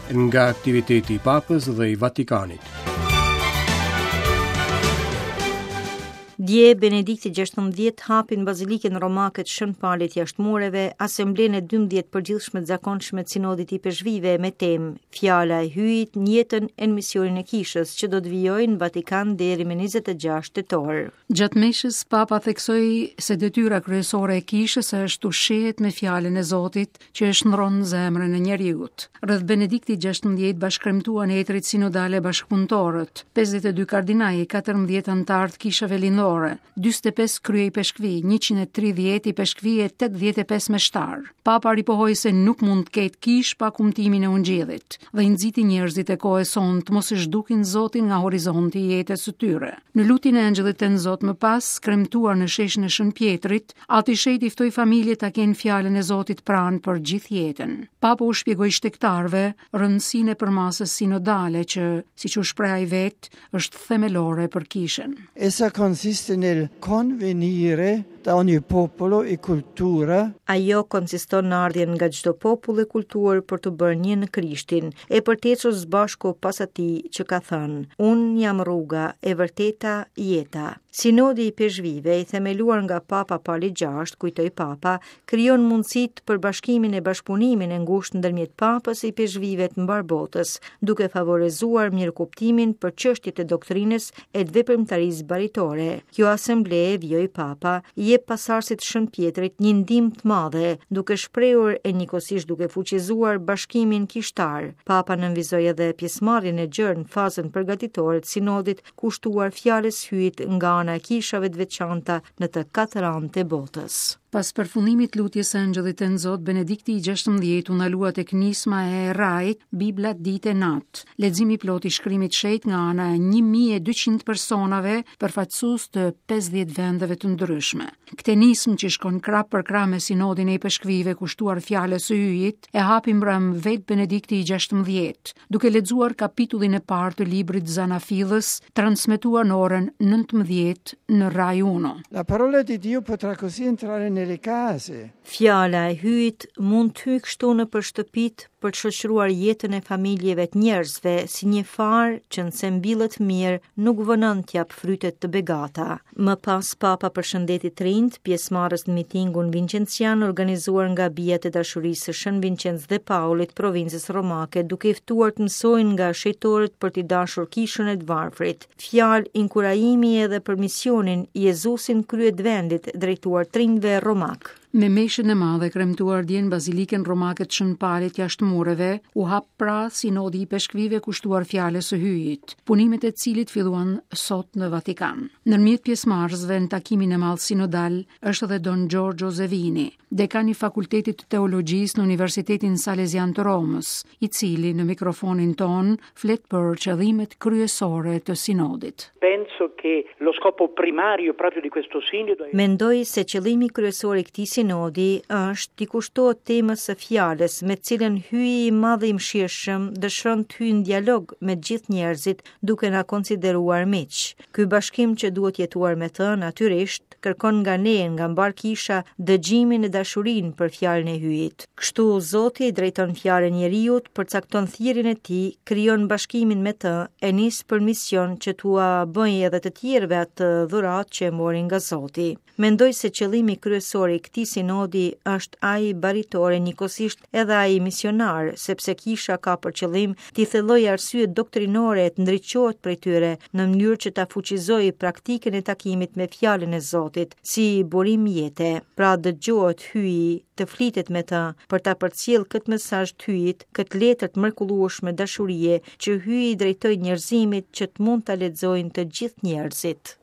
Nga aktiviteti i Papës dhe i Vatikanit. Dje, Benedikti XVI hapi në Bazilikën Romake të Shën Palit jashtë mureve, Asamblenë e 12 të përgjithshme të zakonshme të Sinodit të Ipeshkvijve me temë Fjala e Hyjit në jetën e në misionin e Kishës, që do të vijojë në Vatikan deri më 26 tetor. Gjatë meshës, Papa theksoi se detyra kryesore e Kishës është të ushqehet me fjalën e Zotit, që e shndërron zemrën e njeriut. Rreth Benediktit XVI bashkëkremtuan etërit sinodalë e bashkëpunëtorët, 52 kardinaj, 14 anëtarë të kishave lindore, 45 kryeipeshkvij, 130 ipeshkvij e 85 meshtarë. Papa ripohoi se nuk mund të ketë kishë pa kumtimin e ungjillit dhe i nxiti njerëzit e kohës sonë të mos e zhdukin Zotin nga horizonti i jetës së tyre. Në lutjen e Engjëllit Tënzot më pas, kremtuar në sheshin e Shën Pjetrit, Ati i Shenjtë i ftoi familjet ta kenë fjalën e Zotit pranë për gjithë jetën. Papa u shpjegoi shtegtarëve rëndësinë e përmasës sinodale që, siç u shpreh ai vetë, është themelore për kishën. Essa consiste nel convenire da ogni popolo e cultura. Ajo konsiston në ardhjen nga çdo popull e kulturë për t'u bërë një në Krishtin, e për të ecur së bashku pas atij që ka thënë, Unë jam rruga, e vërteta, jeta. Sinodi i Ipeshkvijve, i themeluar nga Papa Pali VI, kujtoi Papa, krijon mundësitë për bashkimin e bashkëpunimin e ngushtë ndërmjet Papës e ipeshkvijve të mbarë botës, duke favorizuar mirëkuptimin për çështjet e doktrinës e të veprimtarisë baritore. Kjo asemble, vijoi Papa, i jep pasardhësit të Shën Pjetrit një ndihmë të madhe, duke shprehur e njëkohësisht duke fuqizuar bashkimin kishtar. Papa nënvizoi edhe pjesëmarrjen e gjerë në fazën përgatitore të sinodit kushtuar fjalës Hyjit nga ana e kishave të veçanta në të katër anët e botës. Pas përfundimit të lutjes së Engjëllit Tënzot, Benedikti i 16 u ndalua tek nisma e RAI-t, Bibla ditë e natë. Leximi i plotë i shkrimit të shenjtë nga ana e 1200 personave, përfaqësues të 50 vendeve të ndryshme. Këtë nismë që shkon krah për krah me sinodin e ipeshkvijve kushtuar fjalës së Hyjit, e hapi mbrëmë vetë Benedikti i 16, duke lexuar kapitullin e parë të librit Zanafillës, transmetuar në orën 19 në Rai Uno. La parola di Dio potrà così entrare nelle case. Fjala e Hyjit mund të hyjë kështu nëpër shtëpitë për të shoqëruar jetën e familjeve të njerëzve si një farë që nëse mbillet mirë nuk vonon të japë fryte të begata. Më pas Papa përshëndeti të rinjtë, pjesëmarrës në mitingun vincencian organizuar nga Bijat e Dashurisë së Shën Vincenc dhe Paulit, provincës romake, duke i ftuar të mësojnë nga shenjtorët për t'i dashur kishën e të varfrit. Fjalë inkurajimi edhe për misionin Jezusi në krye të vendit drejtuar të rinjve romakë. Me meshën e madhe kremtuar dje në Bazilikën Romake të Shën Palit jashtë mureve, u hap pra sinodi i ipeshkvijve kushtuar fjalës së Hyjit, punimet e të cilit filluan sot në Vatikan. Ndërmjet pjesëmarrësve në takimin e madh sinodal është edhe Don Giorgio Zevini, dekan i Fakultetit të Teologjisë në Universitetin Salezian të Romës, i cili në mikrofonin tonë flet për qëllimet kryesore të sinodit. Penso che lo scopo primario proprio di questo sinodo è Mendoj se qëllimi kryesor i këtij sinodi është t'i kushtohet temës së fjalës me të cilën Hyji i Madh i Mëshirshëm dëshiron të hyjë në dialog me të gjithë njerëzit duke na konsideruar miq. Ky bashkim që duhet jetuar me të, natyrisht, kërkon nga ne, nga mbarë kisha, dëgjimin e dashurinë për fjalën e Hyjit. Kështu Zoti i drejton fjalën njeriut, përcakton thirrjen e tij, krijon bashkimin me të, e nis për mision që t'ua bëjë edhe të tjerëve atë dhuratë që e mori nga Zoti. Mendoj se qëllimi kryesor i këtij sinodi është ai baritor e njëkohësisht edhe ai misionar, sepse kisha ka për qëllim t'i thellojë arsyet doktrinore e të ndriçohet prej tyre, në mënyrë që ta fuqizojë praktikën e takimit me fjalën e Zotit, si burim jete. Pra dëgjohet Hyji, të flitet me të, për ta përcjellë këtë mesazh të Hyjit, këtë letër të mrekullueshme dashurie që Hyji i drejtoi njerëzimit që të mund ta lexojnë të gjithë njerëzit.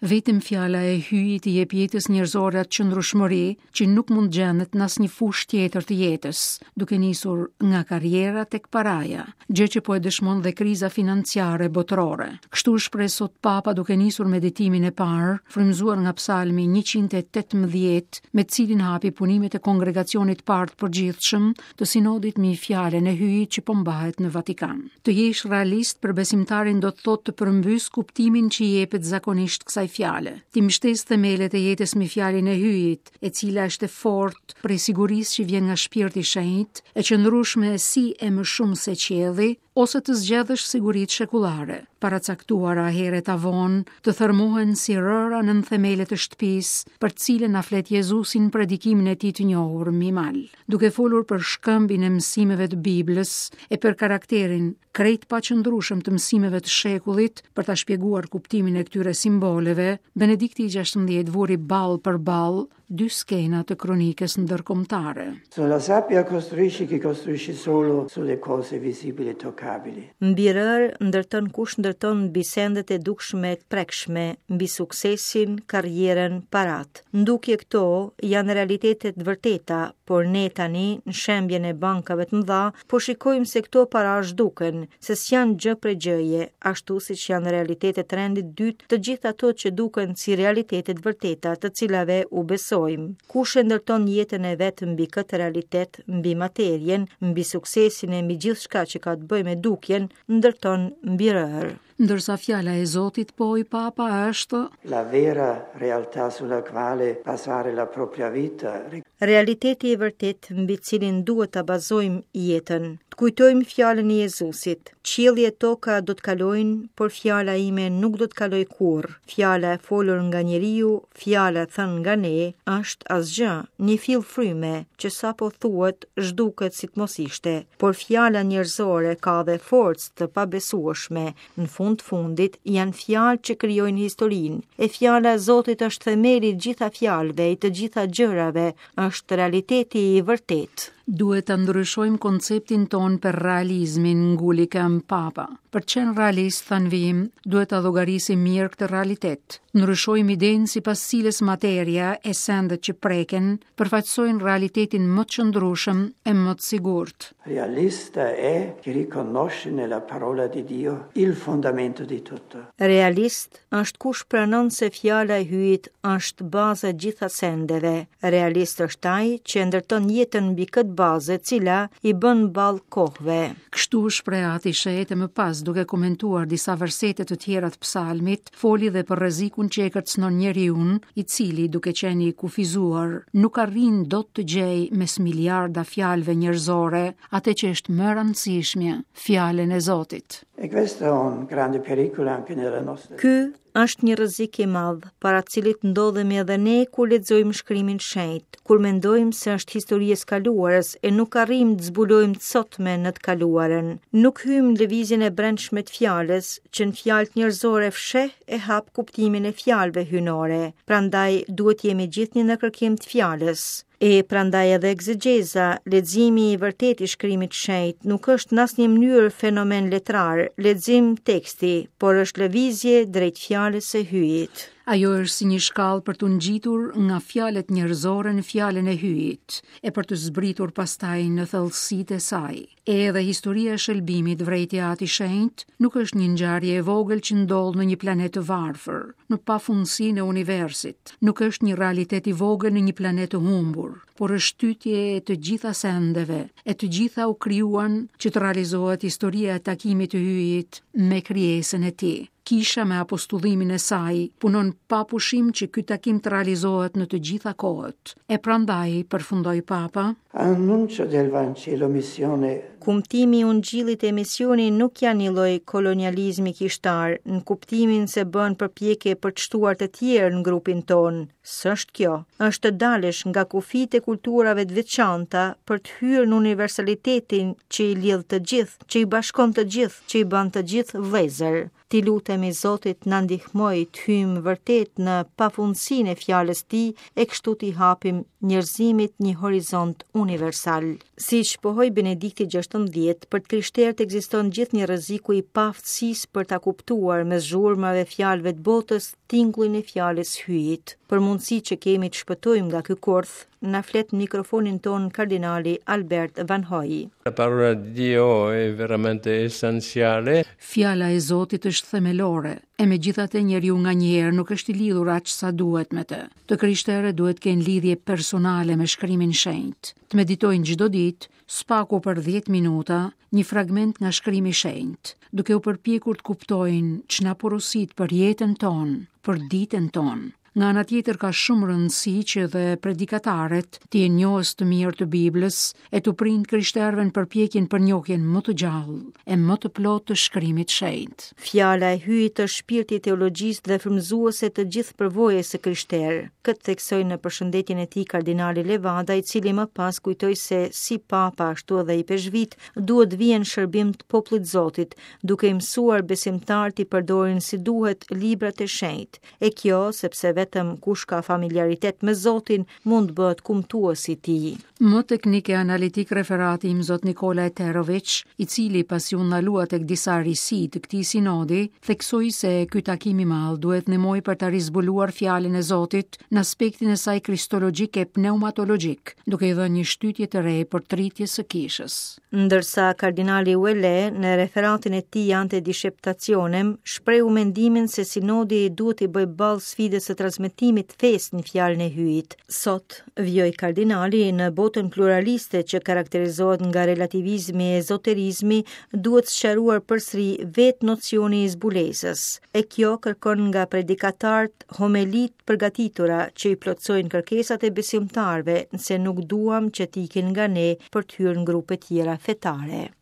Vetëm fjala e Hyjit i jep jetës njerëzore atë qëndrueshmëri që nuk mund të gjendet në asnjë fushë tjetër të jetës, duke nisur nga karriera tek paraja, gjë që po e dëshmon dhe kriza financiare botërore. Kështu u shpreh sot Papa duke nisur meditimin e parë, frymëzuar nga Psalmi 118, me të cilin hapi punimet e Kongregacionit të Parë të Përgjithshëm të Sinodit mbi fjalën e Hyjit që po mbahet në Vatikan. Të jesh realist për besimtarin do të thotë të përmbysë kuptimin që i jepet zakonisht kësaj fjale. T'i mbështesë themelet e jetës mbi fjalën e Hyjit, e cila është e fortë prej sigurisë që vjen nga Shpirti i Shenjtë, e qëndrueshme si e më shumë se qielli, ose të zgjedhësh siguritë shekullare, paracaktuara herët a vonë, të thërmohen si rëra nën themelet e shtëpisë, për të cilën na flet Jezusi në predikimin e tij të njohur mbi mal. Duke folur për shkëmbin e mësimeve të Biblës e për karakterin krejt të paqëndrueshëm të mësimeve të shekullit, për ta shpjeguar kuptimin e këtyre simboleve, Benedikti i 16 vuri ballë për ballë dy skena të kronikës ndërkombëtare. Sulla sabbia costruisce chi costruisce solo sulle cose visibili e toccabili. Mbi rërë ndërton kush ndërton mbi sendet e dukshme e të prekshme, mbi suksesin, karrierën, paratë. Në dukje këto janë realitete të vërteta, por ne tani, në shembjen e bankave të mëdha, po shikojmë se këto para zhduken, se s'janë gjë prej gjëje, ashtu siç janë realitete të rendit të dytë të gjitha ato që duken si realitete të vërteta, të cilave u besojmë. Kush e ndërton jetën e vet mbi këtë realitet, mbi materien, mbi suksesin e mbi gjithçka që ka të bëjë me dukjen, ndërton mbi rërë. Ndërsa fjala e Zotit, pohoi Papa, është La vera realtà sulla quale basare la propria vita. Realiteti i vërtetë mbi të cilin duhet ta bazojmë jetën. Të kujtojmë fjalën e Jezusit, Qielli e toka do të kalojnë, por fjala ime nuk do të kalojë kurrë. Fjala e folur nga njeriu, fjala e thënë nga ne, është asgjë, një fill fryme, që sapo thuhet, zhduket si të mos ishte. Por fjala njerëzore ka dhe forcë të pabesueshme, në fund të fundit janë fjalë që krijojnë historinë. E fjala e Zotit është themeli i të gjitha fjalëve, i të gjitha gjërave, është realiteti i vërtetë. Duhet ta ndryshojmë konceptin tonë për realizmin, nguli këmbë Papa. Për të qenë realist, tha në vijim, duhet ta llogarisim mirë këtë realitet. Ndryshojmë idenë sipas cilës materia e sendet që preken përfaqësojnë realitetin më të qëndrueshëm e më të sigurt. Realista è chi riconosce nella parola di Dio il fondamento di tutto. Realist është kush pranon se fjala e Hyjit është baza e gjitha sendeve. Realist është ai që e ndërton jetën mbi këtë bazë e cila i bën ballë kohëve. Kështu u shpreh Ati i Shenjtë e më pas duke komentuar disa versete të tjera të psalmit, foli dhe për rrezikun që e kërcënon njeriun, i cili, duke qenë i kufizuar, nuk arrin dot të gjejë mes miliarda fjalëve njerëzore atë që është më e rëndësishmja, fjalën e Zotit. E questo è un grande pericolo anche nella nostra. Ky është një rrezik i madh, para të cilit ndodhemi edhe ne kur lexojmë shkrimin e shenjtë, kur mendojmë se është histori e së kaluarës e nuk arrijmë të zbulojmë të sotmen në të kaluarën. Nuk hyjmë në lëvizjen e brendshme të fjalës, që në fjalët njerëzore fsheh e hap kuptimin e fjalëve hyjnore. Prandaj duhet të jemi gjithnjë në kërkim të fjalës. E prandaj edhe ekzegjeza, leximi i vërtetë i shkrimit të shenjtë, nuk është në asnjë mënyrë fenomen letrar, lexim teksti, por është lëvizje drejt fjalës së Hyjit. Ajo është si një shkallë për t'u ngjitur nga fjalët njerëzore në fjalën e Hyjit, e për të zbritur pastaj në thellësitë e saj. E edhe historia e shëlbimit, vërejti Ati i Shenjtë, nuk është një ngjarje e vogël që ndodh në një planet të varfër, në pafundësinë e universit, nuk është një realitet i vogël në një planet të humbur, por është shtytje e të gjitha sendeve, e të gjitha u krijuan që të realizohet historia e takimit të Hyjit me krijesën e tij. Kisha me apostullimin e saj punon pa pushim që ky takim të realizohet në të gjitha kohët. E prandaj, përfundoi Papa, Annuncio del Vangelo missione Kumtimi i Ungjillit e misioni nuk janë një lloj kolonializmi kishtar, në kuptimin se bën përpjekje për të shtuar të tjerë në grupin tonë. S'është kjo. Është të dalësh nga kufijtë e kulturave të veçanta për të hyrë në universalitetin që i lidh të gjithë, që i bashkon të gjithë, që i bën të gjithë vëllezër. T'i lutemi Zotit na ndihmojë të hyjmë vërtet në pafundësinë e fjalës tij e kështu t'i hapim njerëzimit një horizont universal. Siç pohoi Benedikti XVI, për të krishterët ekziston gjithnjë rreziku i paaftësisë për ta kuptuar mes zhurmave e fjalëve të botës tingullin e fjalës Hyjit. Për mundësitë që kemi të shpëtojmë nga ky kurth, na flet në mikrofonin tonë kardinali Albert Vanhoj. La parola di Dio è veramente essenziale. Fjala e Zotit është themelore, e megjithatë njeriu nganjëherë nuk është i lidhur aq sa duhet me të. Të krishterët duhet të kenë lidhje personale me shkrimin e shenjtë, të meditojnë çdo ditë, së paku për 10 minuta, një fragment nga shkrimi i shenjtë, duke u përpjekur të kuptojnë ç'na porosit për jetën tonë. për ditën tonë. Nga ana tjetër ka shumë rëndësi që dhe predikatarët të jenë njohës të mirë të Biblës e t'u prijnë të krishterëve në përpjekjen për njohjen më të gjallë e më të plotë të shkrimit të shenjtë. Fjala e Hyjit është shpirti i teologjisë dhe frymëzuese të gjithë përvojës së krishterë. Këtë theksoi në përshëndetjen e tij kardinali Levada, i cili më pas kujtoi se si papa ashtu edhe ipeshkvijtë duhet të vihen në shërbim të popullit të Zotit, duke i mësuar besimtarët t'i përdorin si duhet librat e shenjtë. E kjo, sepse vetëm kush ka familiaritet me Zotin, mund të bëhet kumtues i tij. Më teknik e analitik referati Imzot Nikola Eterović, i cili pasi u ndalua tek disa risi të këtij sinodi, theksoi se ky takim i madh duhet të ndihmojë për ta rizbuluar fjalën e Zotit në aspektin e saj kristologjik e pneumatologjik, duke i dhënë një shtytje të re përtëritjes së kishës. Ndërsa kardinali Ouellet në referatin e tij Ante Disceptationem shprehu mendimin se sinodi duhet t'i bëjë ballë sfidës së transmetimit të fesë në fjalën e Hyjit. Sot, vijoi kardinali, në botën pluraliste që karakterizohet nga relativizmi e ezoterizmi, duhet sqaruar përsëri vetë nocioni i zbulesës. E kjo kërkon nga predikatarët homeli të përgatitura që i plotësojnë kërkesat e besimtarëve nëse nuk duam që të ikin nga ne për të hyrë në grupe tjera fetare.